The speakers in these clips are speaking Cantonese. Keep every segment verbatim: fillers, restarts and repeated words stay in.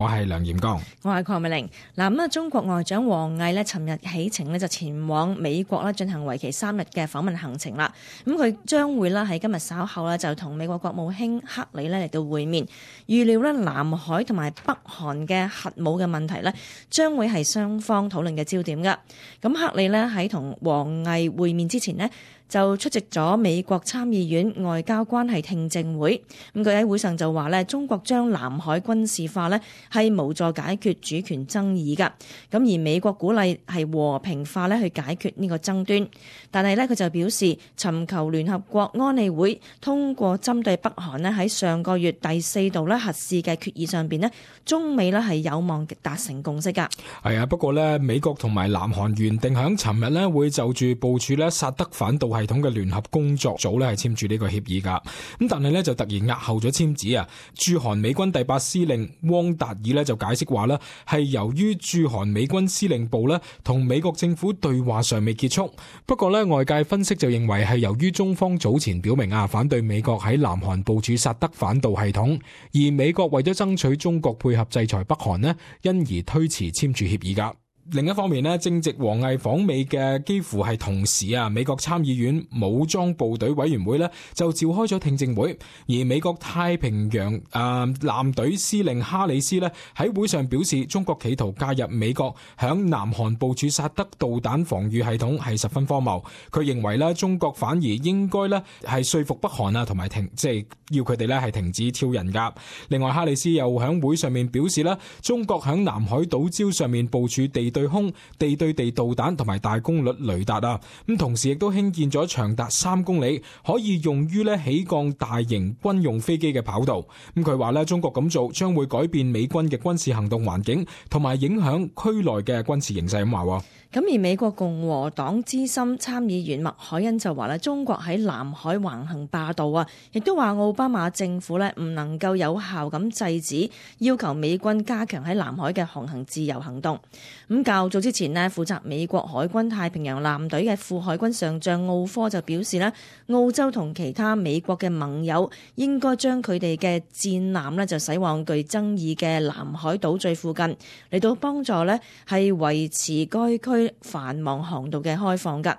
我係梁炎剛，我係鄺美玲。嗱咁啊，中國外長王毅呢，尋日起程呢就前往美國啦，進行為期三日嘅訪問行程啦。咁佢將會啦喺今日稍後呢就同美國國務卿克里呢嚟到會面。預料呢南海同埋北韓嘅核武嘅問題呢，將會係雙方討論嘅焦點噶。咁克里呢喺同王毅會面之前呢，就出席咗美國參議院外交關係聽證會。咁佢喺會上就話咧，中國將南海軍事化咧係無助解決主權爭議㗎。咁而美國鼓勵係和平化咧去解決呢個爭端。但係咧佢就表示，尋求聯合國安理會通過針對北韓咧喺上個月第四度咧核試嘅決議上邊咧，中美咧係有望達成共識㗎。係啊，不過咧美國同埋南韓原定響尋日咧會就住部署咧薩德反導系統嘅聯合工作組咧係簽署呢個協議噶，咁但係咧就突然押後咗簽字啊。駐韓美軍第八司令汪達爾咧就解釋話咧係由於駐韓美軍司令部咧同美國政府對話尚未結束。不過咧外界分析就認為係由於中方早前表明啊反對美國喺南韓部署薩德反導系統，而美國為咗爭取中國配合制裁北韓呢，因而推遲簽署協議噶。另一方面呢，正值王毅訪美嘅幾乎係同時啊，美國參議院武裝部隊委員會呢就召開咗聽證會，而美國太平洋誒艦隊司令哈里斯呢喺會上表示，中國企圖介入美國響南韓部署薩德導彈防禦系統係十分荒謬。佢認為呢，中國反而應該呢係說服北韓啊，同埋停即係要佢哋呢係停止挑釁噶。另外，哈里斯又響會上面表示呢，中國響南海島礁上面部署地對空、地對地導彈同埋大功率雷達啊，咁同時亦都興建咗長達三公里可以用於咧起降大型軍用飛機嘅跑道。咁佢話咧，中國咁做將會改變美軍嘅軍事行動環境，同埋影響區內嘅軍事形勢。咁話。咁而美國共和黨資深參議員麥凱恩就話咧，中國喺南海橫行霸道啊，亦都話奧巴馬政府咧唔能夠有效咁制止要求美軍加強喺南海嘅航行自由行動。咁較早之前咧，負責美國海軍太平洋艦隊嘅副海軍上將奧科就表示咧，澳洲同其他美國嘅盟友應該將佢哋嘅戰艦咧就駛往具爭議嘅南海島嶼附近，嚟到幫助咧係維持該區繁忙航道嘅開放噶。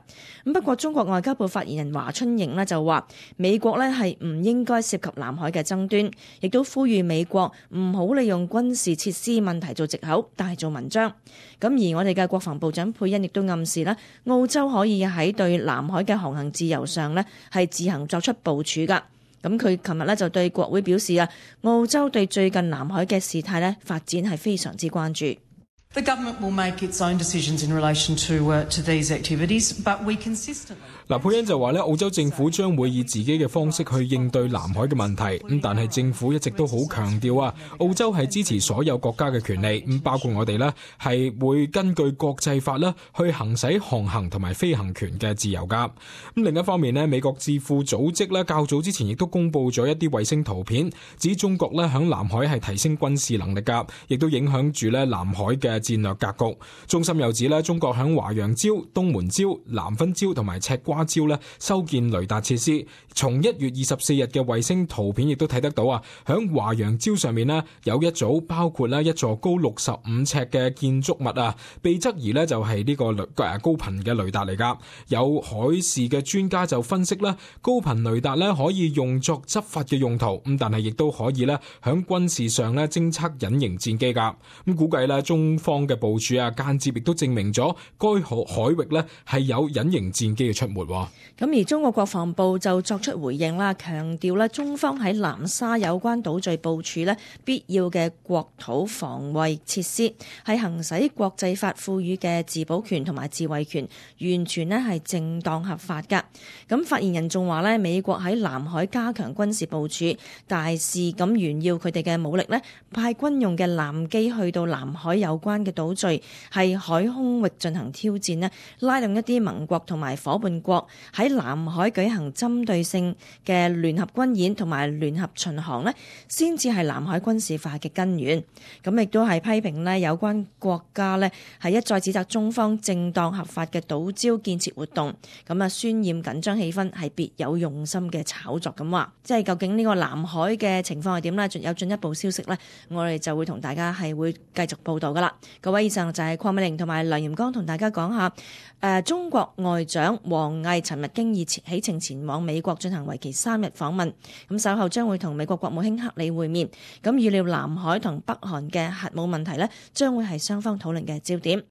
咁不過中國外交部發言人華春瑩呢就話，美國呢係唔應該涉及南海嘅爭端，亦都呼籲美國唔好利用軍事設施問題做藉口，大做文章。咁而我哋嘅國防部長佩恩亦都暗示啦，澳洲可以喺對南海嘅航行自由上呢係自行作出部署噶。咁佢琴日呢就對國會表示啊，澳洲對最近南海嘅事態呢發展係非常之關注。The government will make its own decisions in relation to, uh, to these activities, but we consistently... 嗱，佩恩就話咧，澳洲政府將會以自己嘅方式去應對南海嘅問題。咁但係政府一直都好強調啊，澳洲係支持所有國家嘅權利，咁包括我哋呢係會根據國際法啦去行使航行同埋飛行權嘅自由噶。咁另一方面呢，美國智庫組織咧較早之前亦都公布咗一啲衛星圖片，指中國咧響南海係提升軍事能力噶，亦都影響住咧南海嘅戰略格局。中心又指咧，中國響華陽礁、東門礁、南分礁同埋赤瓜礁咧修建雷達設施。從一月二十四日嘅衛星圖片亦都睇得到啊，響華陽礁上面咧有一組包括咧一座高六十五尺嘅建築物啊，被質疑咧就係呢個雷誒高頻嘅雷達嚟噶。有海事嘅專家就分析咧，高頻雷達咧可以用作執法嘅用途，咁但係亦都可以咧響軍事上咧偵測隱形戰機噶。咁估計咧中方嘅部署啊，間接亦都證明咗該海海域咧係有隱形戰機嘅出沒。咁而中國國防部就作出回應啦，強調咧中方喺南沙有關島嶼部署咧必要嘅國土防衛設施，係行使國際法賦予嘅自保權同埋自衛權，完全咧係正當合法噶。咁發言人仲話咧，美國喺南海加強軍事部署，大肆咁炫耀佢哋嘅武力咧，派軍用嘅艦機去到南海有關間嘅島嶼係海空域進行挑戰呢，拉動一啲盟國同埋伙伴國喺南海舉行針對性嘅聯合軍演同埋聯合巡航呢，先至係南海軍事化嘅根源。咁亦都係批評呢有關國家呢係一再指責中方正當合法嘅島礁建設活動，咁啊渲染緊張氣氛係別有用心嘅炒作咁話。即係究竟呢個南海嘅情況係點呢？有進一步消息呢，我哋就會同大家係會繼續報道噶啦。各位，以上就係鄺美玲同埋梁嚴剛同大家講下，誒、呃、中國外長王毅尋日經已起程前往美國進行為期三日訪問，咁稍後將會同美國國務卿克里會面，咁預料南海同北韓嘅核武問題呢，將會係雙方討論嘅焦點。